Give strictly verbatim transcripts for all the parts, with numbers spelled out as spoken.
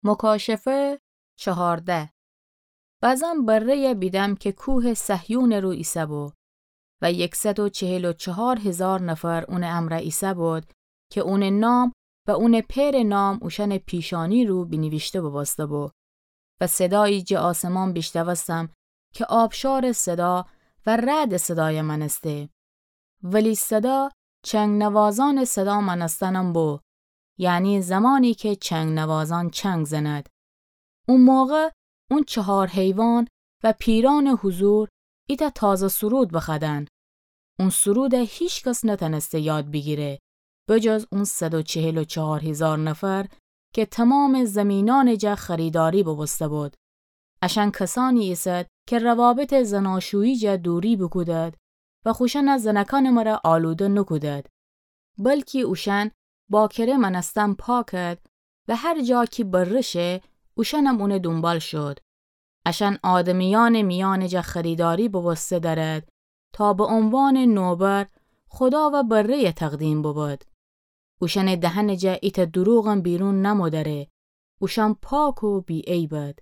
مکاشفه چهارده. بزان بره‌یَ بیدم کی کوهٚ صهیونٚ رو ایسه‌بو و یکصد و چهل و چهار هیزار نفر اونٚ امرأ ایسه‌بود کی اونٚ نام و اونٚ پئرٚ نام اوشأنٚ پیشانی رو بینیویشته بوبوسته‌بو. و صدایی جٚه آسمان بیشنوستم کی آبشارٚ صدا و رعدٚ صدایَ مأنسته. ولی صدا چنگ‌نوازانٚ صدا مأنستنم بو، یعنی زمانی کی چنگ‌نوازان چنگ زند. او موقع اون چهار حیوان و پیرأنٚ حضور ایتأ تازه سرود بخوأدن. اون سرودَ هیکس نتأنسته یاد بیگیره، بجز اون صد و چهل و چهار هیزار نفر کی تومامٚ زیمینأنٚ جا خریداری بوبوسته‌بود. اشأن کسأنی ایسد کی روابطٚ زناشویی جا دوری بوکودد و خوشأنٚ زنکأنٚ مرأ آلوده نوکودد، بلکی اوشأن باکره مأنستن پاکد و هر جا کی بره شه، اوشأنم اونٚ دونبال شود. اشأن آدمیأنٚ میأنٚ جا خریداری بوبوسته دأرد تا به عنوانٚ نوبر خودا و بره‌یَ تقدیم بوبود. اوشأنٚ دهنٚ جا ایتأ دروغم بیرون نمو دأره. اوشأن پاک و بی‌عیبد.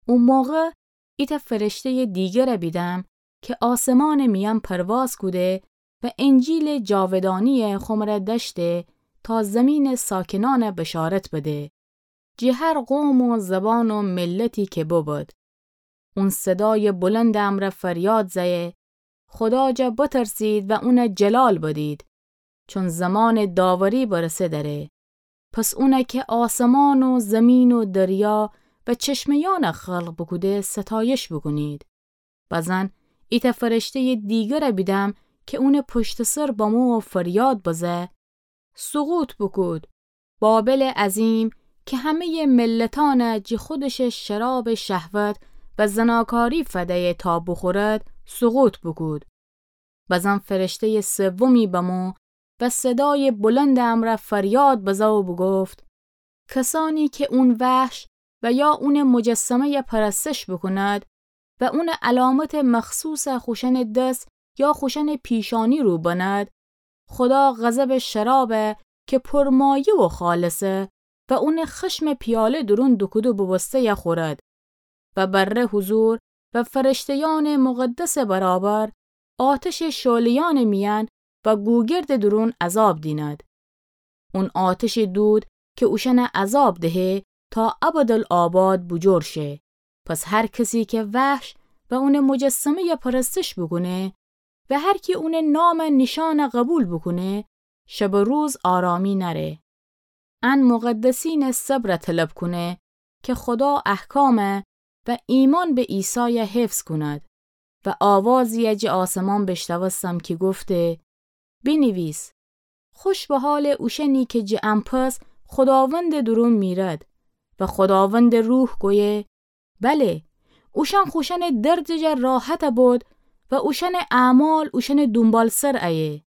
او موقع ایتأ فرشته‌یٚ دیگرَ بیدم کی آسمانٚ میأن پرواز کوده و انجیلٚ جاودانیَ خو مرأ دأشته تا زیمینٚ ساکنأنَ بشارت بده، جٚه هر قوم و زبان و ملتی کی ببد. اون صدایٚ بلندٚ امرأ فریاد زأیه، خودا جا بترسید و اونَ جلال بدید، چون زمانٚ داوری برسه دأره. پس اونَ کی آسمان و زیمین و دریا و چشمه‌یأنَ خلق بوکوده ستایش بوکونید. بزن ایتأ فرشته‌یٚ دیگرَ بیدم کی اونٚ پشتٚ سر بمو و فریاد بزه، سقوط بوکود، بابلٚ عظیم، کی همه‌یٚ ملتأنَ جٚه خودشٚ شرابٚ شهوت و زناکاری فدیه تا بوخورد، سقوط بوکود. بزن فرشته‌یٚ سومی بمو و صدایٚ بلندٚ امرأ فریاد بزه و بوگفت، کسأنی کی اون وحش و یا اونٚ مجسمه‌یَ پرستش بوکوند و اونٚ علامتٚ مخصوصَ خوشأنٚ دس یا خوشأنٚ پیشانی رو بنید، خودا غضبٚ شرابَ کی پرمایه و خالصه و اونٚ خشمٚ پیاله دورون دوکوده بوبوسته‌یَ خورد و بره حضور و فرشته‌یأنٚ مقدسٚ برابر آتشٚ شعله‌یأنٚ میأن و گوگردٚ دورون عذاب دینید. اون آتشٚ دود کی اوشأنَ عذاب دهه تا ابدالآباد بوجور شه. پس هر کسی کی وحش و اونٚ مجسمه‌یَ پرستش بوکونه و هر کی اونٚ نامٚ نیشأنَ قوبیل بوکونه، شب و روز آرامی نأره. ان مقدسینٚ صبرَ طلب کونه کی خودا احکامَ و ایمأن به عیسایَ حفظ کونید. و آوازیَ جٚه آسمان بیشنوستم کی گفته، بینیویس، خوش به حالٚ اوشأنی کی جٚه ان پس خوداوندٚ دورون میرد. و خوداوندٚ روح گویه، بله، اوشأن خوشأنٚ دردٚ جا راحت بید و اوشأنٚ اعمال اوشأنٚ دونبالسر ایه.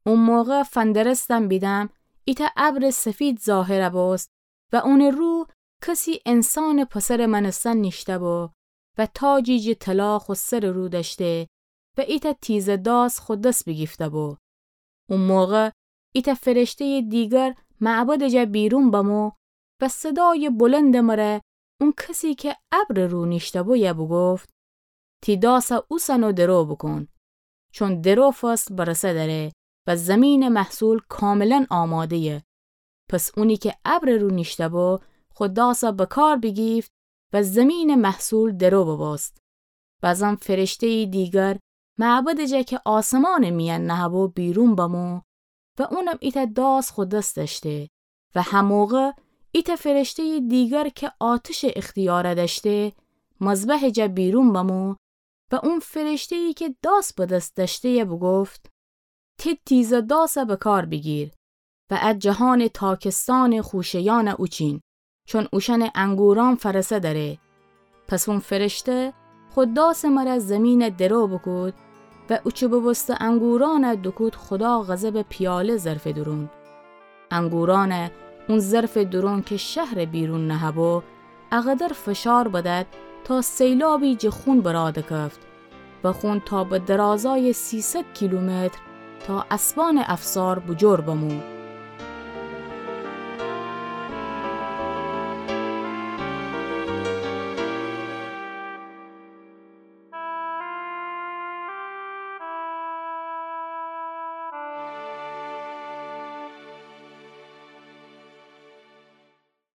او موقع فندرستم بیدم ایتأ ابرٚ سفید ظاهر بوست و اونٚ رو کسی انسانٚ پسرٚ مأنستن نیشته‌بو و تاجی جٚه طلا خو سرٚ رو دأشته و ایتأ تیزه داس خو دس بیگیفته‌بو. او موقع ایتأ فرشته‌یٚ دیگر معبدٚ جا بیرون بمو و صدایٚ بلندٚ مره اون کسی کی ابرٚ رو نیشته‌بویه بوگفت، تی داسَ اوسن و درو بوکون، چون درو فصل برسه دأره و زیمینٚ محصول کاملا آماده‌یه. پس اونی کی ابرٚ رو نیشته‌بو خو داسَ بکار بیگیفت و زیمینٚ محصول درو بوبوست. بزن فرشته‌یٚ دیگر معبدٚ جا کی آسمانٚ میأن نهه‌بو بیرون بمو و اونم ایتأ داس خو دس دأشته. و هموقع ایتأ فرشته‌یٚ دیگر کی آتشٚ اختیار دأشته، مذبحٚ جا بیرون بمو و اون فرشته‌یی کی داس به دس دأشته‌یه بوگفت، تی تیزه داسَ بکار بیگیر و ا جهانٚ تاکستانٚ خوشه‌یأنَ اوچین، چون اوشأنٚ انگورأن فرسه دأره. پس اون فرشته خو داسٚ مره زیمینَ درو بوکود و اوچه بوبوسته انگورأنَ دوکود خودا غضبٚ پیاله ظرفٚ دورون. انگورأنَ اون ظرفٚ دورون کی شهرٚ بیرون نهه‌بو، اقدر فشار بدد تا سیلابی جٚه خون برا دکفت و خون تا به درازایٚ سیصد کیلومتر تا اسبانٚ افسار بوجور بمو.